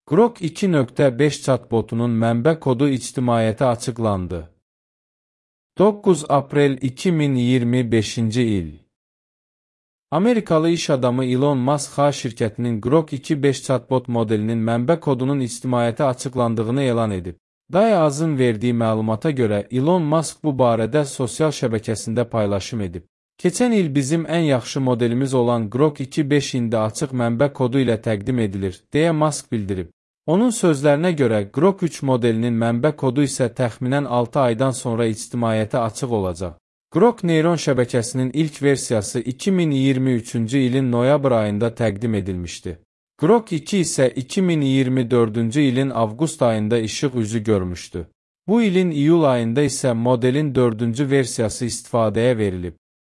Grok 2.5 chatbotunun mənbə kodu ictimaiyyətə açıqlandı. 9 aprel 2025-ci il. Amerikalı iş adamı Elon Musk şirkətinin Grok 2.5 chatbot modelinin mənbə kodunun ictimaiyyətə açıqlandığını elan edib. Dayazın verdiyi məlumata görə Elon Musk bu barədə sosial şəbəkəsində paylaşım edib. Keçən il bizim ən yaxşı modelimiz olan Grok 2.5 indi açıq mənbə kodu ilə təqdim edilir, deyə Musk bildirib. Onun sözlərinə görə Grok 3 modelinin mənbə kodu isə təxminən 6 aydan sonra ictimaiyyətə açıq olacaq. Grok neyron şəbəkəsinin ilk versiyası 2023-cü ilin noyabr ayında təqdim edilmişdi. Grok 2 isə 2024-cü ilin avqust ayında işıq üzü görmüşdü. Bu ilin iyul ayında isə modelin 4-cü versiyası istifadəyə verilib.